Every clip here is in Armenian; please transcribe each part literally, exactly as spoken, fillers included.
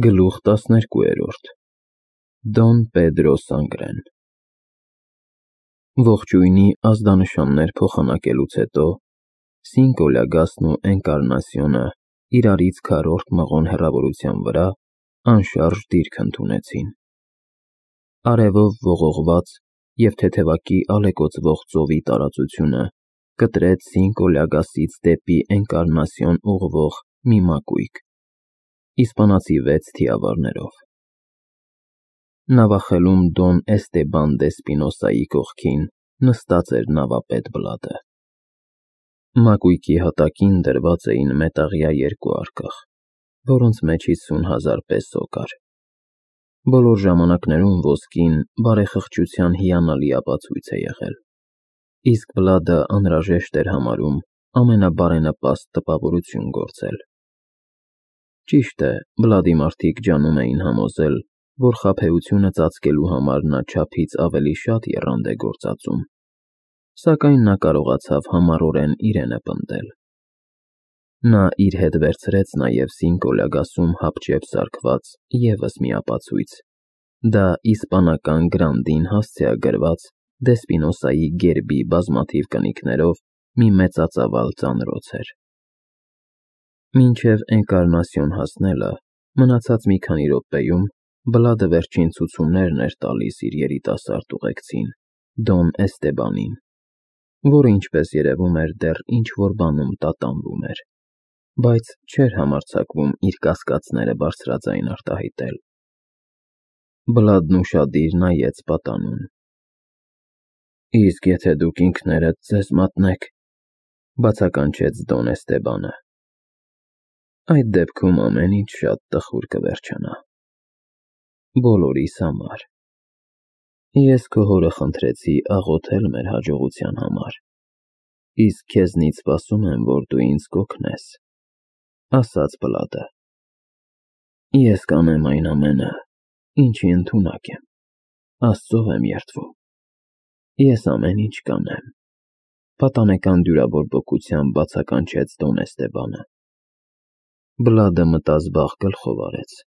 Գլուխ տասներկուերորդ Դոն Պեդրո Սանգրեն Ողջույնի ազդանշաններ փոխանակելուց հետո Սինկո Լյագասն ու Էնկարնասիոնը իրարից քառորդ մղոն հեռավորության վրա անշարժ դիրք ընդունեցին։ Արևով ողողված և թեթևակի ալեկոծվող ծովի տարածությունը կտրեց Սինկո Լյագասից դեպի Էնկարնասիոն ուղղվող մի մակույկ, իսպանացի վեց թիավարներով։ Նավախելում Դոն Էստեբան դե Սպինոսայի կողքին նստած էր նավապետ Բլադը։ Մակույկի հատակին դրված էին մետաղյա երկու արկղ, որոնց մեջ հիսուն հազար պեսո կար։ Բոլոր ժամանակներում ոսկին բարեխղճության հիանալի ապացույց է եղել, իսկ Բլադը անհրաժեշտ էր համարում ամենաբարենպաստ տպավորություն գործել։ Ճիշտ է, Բլադի մարդիկ ջանում էին համոզել, որ խաբեությունը ծածկելու համար նա չափից ավելի շատ եռանդ է գործածում, սակայն նա կարողացավ համառորեն իրենը պնդել։ Նա իր հետ վերցրեց նաև Սինկո Լյագասում հապճեպ սարքված ևս մի ապացույց, դա իսպանական գրանդին հասցեագրված դե Սպինոսայի գերբի բազմաթիվ կնիքներով մի մեծածավալ ծանրոց էր։ Մինչև Էնկարնասիոն հասնելը մնացած մի քանի րոպեում Բլադը վերջին ցուցումներն էր տալիս իր երիտասարդ ուղեկցին՝ Դոն Էստեբանին, որը, ինչպես երևում էր, դեռ ինչ-որ բանում տատանվում էր, բայց չէր համարձակվում իր կասկածները բարձրաձայն արտահայտել։ Բլադն ուշադիր նայեց պատանուն։ Իսկ եթե դուք ինքներդ ձեզ մատնեք, բացականչեց Դոն Էստեբանը, այդ դեպքում ամեն ինչ շատ տխուր կվերջանա։ Բոլորիս համար։ Ես քո հորը խնդրեցի աղոթել մեր հաջողության համար, իսկ քեզնից սպասում եմ, որ դու ինձ կօգնես, ասաց Բլադը։ Ես կանեմ այն ամենը, ինչի ընդունակ եմ, Աստծով եմ երդվում։ Ես ամեն ինչ կանեմ, պատանեկան դյուրավորբոքությամբ բացականչեց Դոն Էստեբանը։ Բլադը մտազբաղ գլխով արեց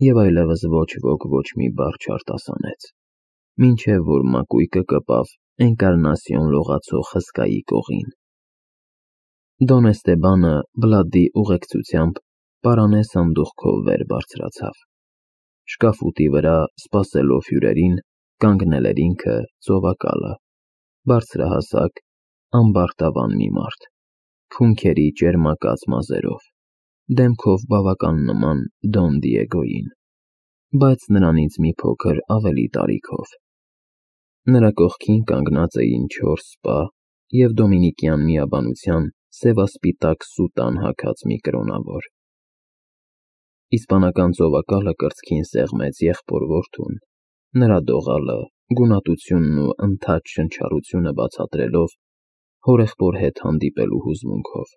և այլևս ոչ ոք ոչ մի բառ չարտասանեց, մինչև որ մակույկը կպավ Էնկարնասիոն լողացող հսկայի կողին։ Դոն Էստեբանը Բլադի ուղեկցությամբ պարանե սանդուղքով վեր բարձրացավ։ Շկաֆուտի վրա, սպասելով հյուրերին, կանգնել էր ինքը ծովակալը, բարձրահասակ, ամբարտավան մի մարդ, քունքերի ճերմակած մազերով, դեմքով բավական նման Դոն Դիեգոյին, բայց նրանից մի փոքր ավելի տարիքով։ Նրա կողքին կանգնած էին չորս սպա և դոմինիկյան միաբանության սևասպիտակ սուտան հագած մի կրոնավոր։ Իսպանական ծովակալը կրծքին սեղմեց եղբոր որդուն, նրա դողալը, գունատությունն ու ընդհատ շնչառությունը բացատրելով հորեղբոր հետ հանդիպելու հուզմունքով։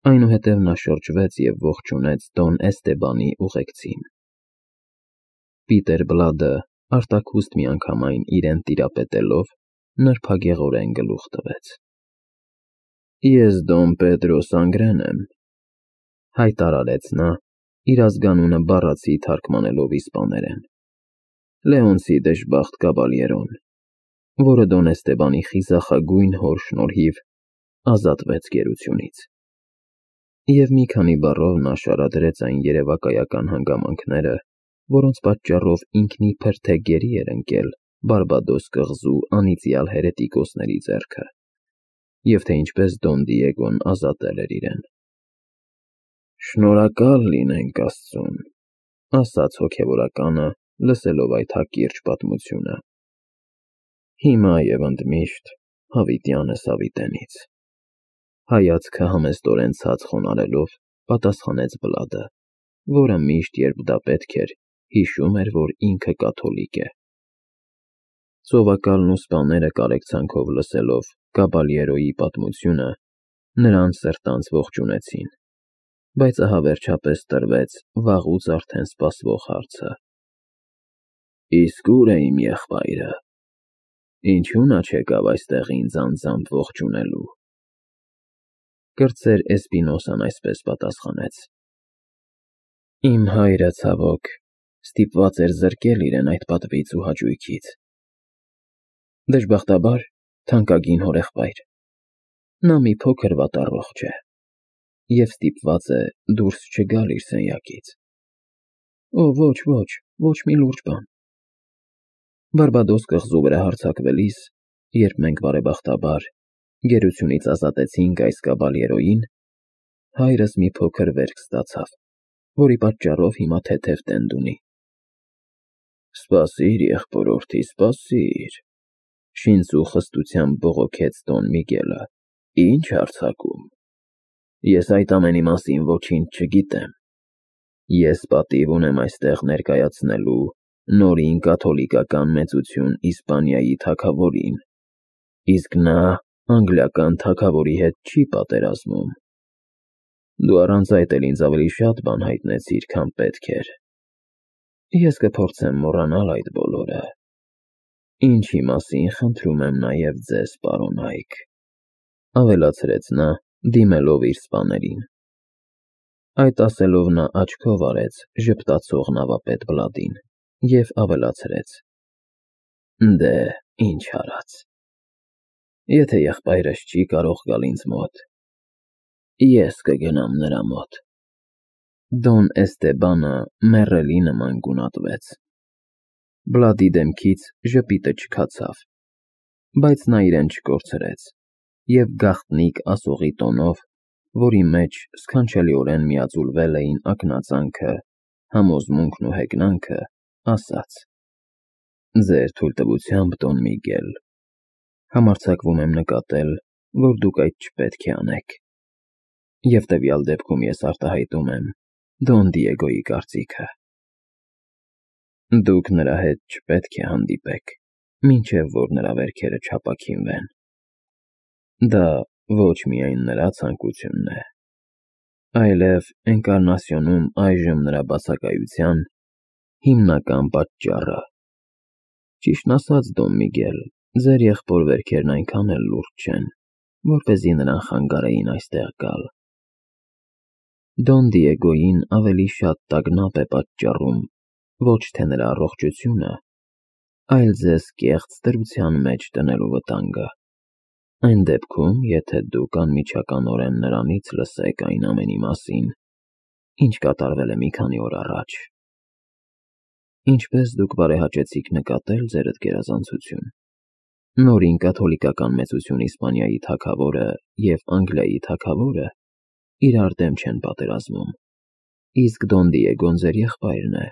Այնուհետև նա շրջվեց և ողջունեց Դոն Էստեբանի ուղեկցին։ Պիտեր Բլադը, արտաքուստ միանգամայն իրեն տիրապետելով, նրբագեղորեն գլուխ տվեց։ Ես Դոն Պեդրո Սանգրեն եմ, հայտարարեց նա, իր ազգանունը բառացի թարգմանելով իսպաներեն, Լեոնսի դժբախտ կաբալյերոն, որը Դոն Էստեբանի խիզախագույն հոր շնորհիվ ազատվեց գերությունից։ Եվ մի քանի բառով նա շարադրեց այն երևակայական հանգամանքները, որոնց պատճառով ինքն իբր թե գերի էր ընկել Բարբադոս կղզու անիծյալ հերետիկոսների ձեռքը, և թե ինչպես Դոն Դիեգոն ազատել էր իրեն։ Շնորհակալ լինենք Աստծուն, ասաց հոգևորականը, լսելով այդ հակիրճ պատմությունը։ Հիմա և ընդմիշտ հավիտյանս հավիտենից։ Հայացքը համեստորեն ցած խոնարհելով, պատասխանեց Բլադը, որը միշտ, երբ դա պետք էր, հիշում էր, որ ինքը կաթոլիկ է։ Ծովակալն ու սպաները կարեկցանքով լսելով կաբալյերոյի պատմությունը, նրան սրտանց ողջունեցին, բայց ահա վերջապես տրվեց վաղուց արդեն սպասվող հարցը. Իսկ ո՞ւր է իմ եղբայրը, ինչու նա չեկավ այստեղ ինձ անձամբ ողջունելու։ Կրտսեր Էսպինոսան այսպես պատասխանեց. Իմ հայրը, ցավոք, ստիպված էր զրկել իրեն այդ պատվից ու հաճույքից։ Դժբախտաբար, թանկագին հորեղբայր, նա մի փոքր վատառողջ է և ստիպված է դուրս չգալ իր սենյակից։ Օ, ոչ, ոչ, ոչ մի լուրջ բան։ Բարբադոս կղզու վրա հարձակվելիս, երբ մենք բարեբախտաբար գերությունից ազատեցինք այս կաբալյերոյին, հայրս մի փոքր վերք ստացավ, որի պատճառով հիմա թեթև տենդ ունի։ Սպասիր, եղբորորդի, սպասիր, շինծու խստությամբ բողոքեց Դոն Միգելը, ինչ հարձակում։ Ես այդ ամենի մասին ոչինչ չգիտեմ։ Ես պատիվ ունեմ այստեղ ներկայացնելու նորին կաթոլիկական մեծություն Իսպանիայի թագավորին, իսկ նա անգլիական թագավորի հետ չի պատերազմում։ Դու առանց այդ էլ ինձ ավելի շատ բան հայտնեցիր, քան պետք էր։ Ես կփորձեմ մոռանալ այդ բոլորը, ինչի մասին խնդրում եմ նաև ձեզ, պարոն Այք, ավելացրեց նա, դիմելով իր սպաներին։ Այդ ասելով նա աչքով արեց ժպտացող նավապետ Բլադին և ավելացրեց. Դե, ինչ արած։ Եթե եղբայրս չի կարող գալ ինձ մոտ, ես կգնամ նրա մոտ։ Դոն Էստեբանը մեռելի նման գունատվեց։ Բլադի դեմքից ժպիտը չքացավ, բայց նա իրեն չկորցրեց և գաղտնիք ասողի տոնով, որի մեջ սքանչելիորեն միաձուլվել էին ակնածանքը, համոզմունքն ու հեգնանքը, ասաց. Ձեր թույլտվությամբ, Դոն Միգել, համարձակվում եմ նկատել, որ դուք այդ չպետք է անեք, և տվյալ դեպքում ես արտահայտում եմ Դոն Դիեգոյի կարծիքը։ Դուք նրա հետ չպետք է հանդիպեք, մինչև որ նրա վերքերը չապաքինվեն։ Դա ոչ միայն նրա ցանկությունն է, այլև Էնկարնասիոնում այժմ նրա բացակայության հիմնական պատճառը։ Ճիշտն ասած, Դոն Միգել, ձեր եղբոր վերքերն այնքան էլ լուրջ չեն, որպեսզի նրան խանգարեին այստեղ գալ։ Դոն Դիեգոյին ավելի շատ տագնապ է պատճառում ոչ թե նրա առողջությունը, այլ ձեզ կեղծ դրության մեջ դնելու վտանգը։ Այն դեպքում, եթե դուք անմիջականորեն նրանից լսեք այն ամենի մասին, ինչ կատարվել է մի քանի օր առաջ։ Ինչպես դուք բարեհաճեցիք նկատել, ձերդ գերազանցություն, նորին կաթոլիկական մեծություն Իսպանիայի թագավորը և Անգլիայի թագավորը իրար դեմ չեն պատերազմում, իսկ Դոն Դիեգոն ձեր եղբայրն է։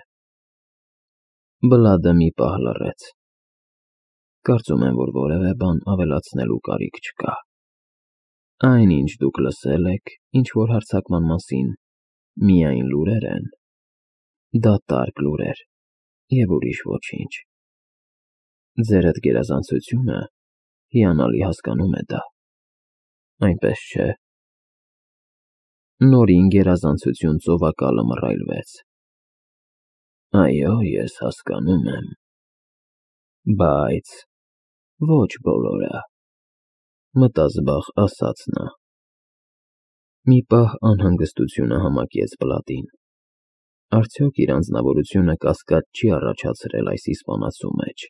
Բլադը մի պահ լռեց։ Կարծում եմ, որ որևէ բան ավելացնելու կարիք չկա։ Այն, ինչ դուք լսել եք, ինչ-որ հարձակման մասին, միայն լուրեր են, դատարկ լուրեր և ուրիշ ոչինչ։ Ձերդ գերազանցությունը հիանալի հասկանում է դա, այնպես չէ։ Նորին գերազանցություն ծովակալը մռայլվեց։ Այո, ես հասկանում եմ, բայց ոչ բոլորը, մտազբաղ ասաց նա։ Մի պահ անհանգստությունը համակեց Բլադին։ Արդյոք իր անձնավորությունը կասկած չի առաջացրել այս իսպանացու մեջ։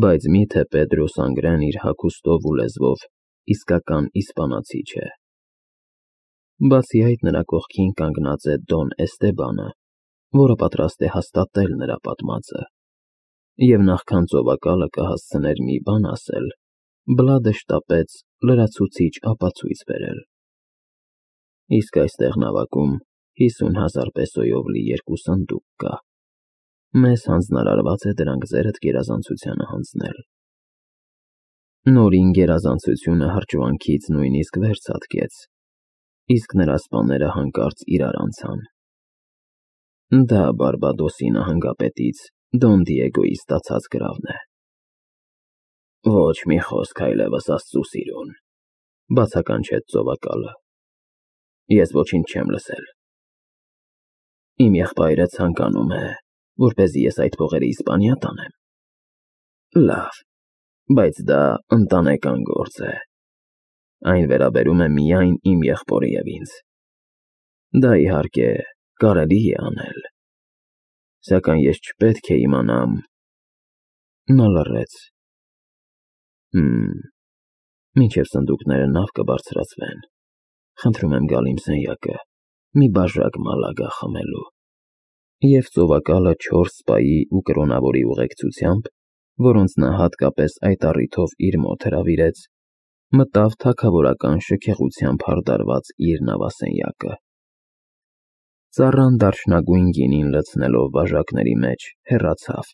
Բայց միթե Պեդրո Սանգրեն իր հագուստով ու լեզվով իսկական իսպանացի չէ։ Բացի այդ, նրա կողքին կանգնած է Դոն Էստեբանը, որը պատրաստ է հաստատել նրա պատմածը, և նախքան ծովակալը կհասցներ մի բան ասել, Բլադը շտապեց լրացուցիչ ապացույց բերել։ Իսկ այստեղ նավակում հիսուն հազար պեսոյով լի երկու սնդուկ կա։ Մեզ հանձնարարված է դրանք ձերդ գերազանցությանը հանձնել։ Նորին գերազանցությունը հրճվանքից նույնիսկ վերցատկեց, իսկ նրա սպաները հանկարծ իրար անցան։ Դա Բարբադոսի նահանգապետից Դոն Դիեգոյի ստացած գրավն է։ Ոչ մի խոսք այլևս Աստծու սիրուն, բացականչեց ծովակալը։ Ես ոչինչ չեմ լսել։ Իմ եղբայրը ցանկանում է, որպեսզի ես այդ փողերը Իսպանիա տանեմ։ Լավ, բայց դա ընտանեկան գործ է։ Այն վերաբերում է միայն իմ եղբորը և ինձ։ Դա իհարկե կարելի է անել, սակայն ես չպետք է իմանամ… Նա լռեց. Հըմ… Մինչև սնդուկները նավ կբարձրացվեն, խնդրում եմ գալ իմ սենյակը մի բաժակ մալագա խմելու… Եվ ծովակալը չորս սպայի ու կրոնավորի ուղեկցությամբ, որոնց նա հատկապես այդ առիթով իր մոտ հրավիրեց, մտավ թագավորական շքեղությամբ հարդարված իր նավասենյակը… Ծառան դարչնագույն գինին լցնելով բաժակների մեջ, հեռացավ,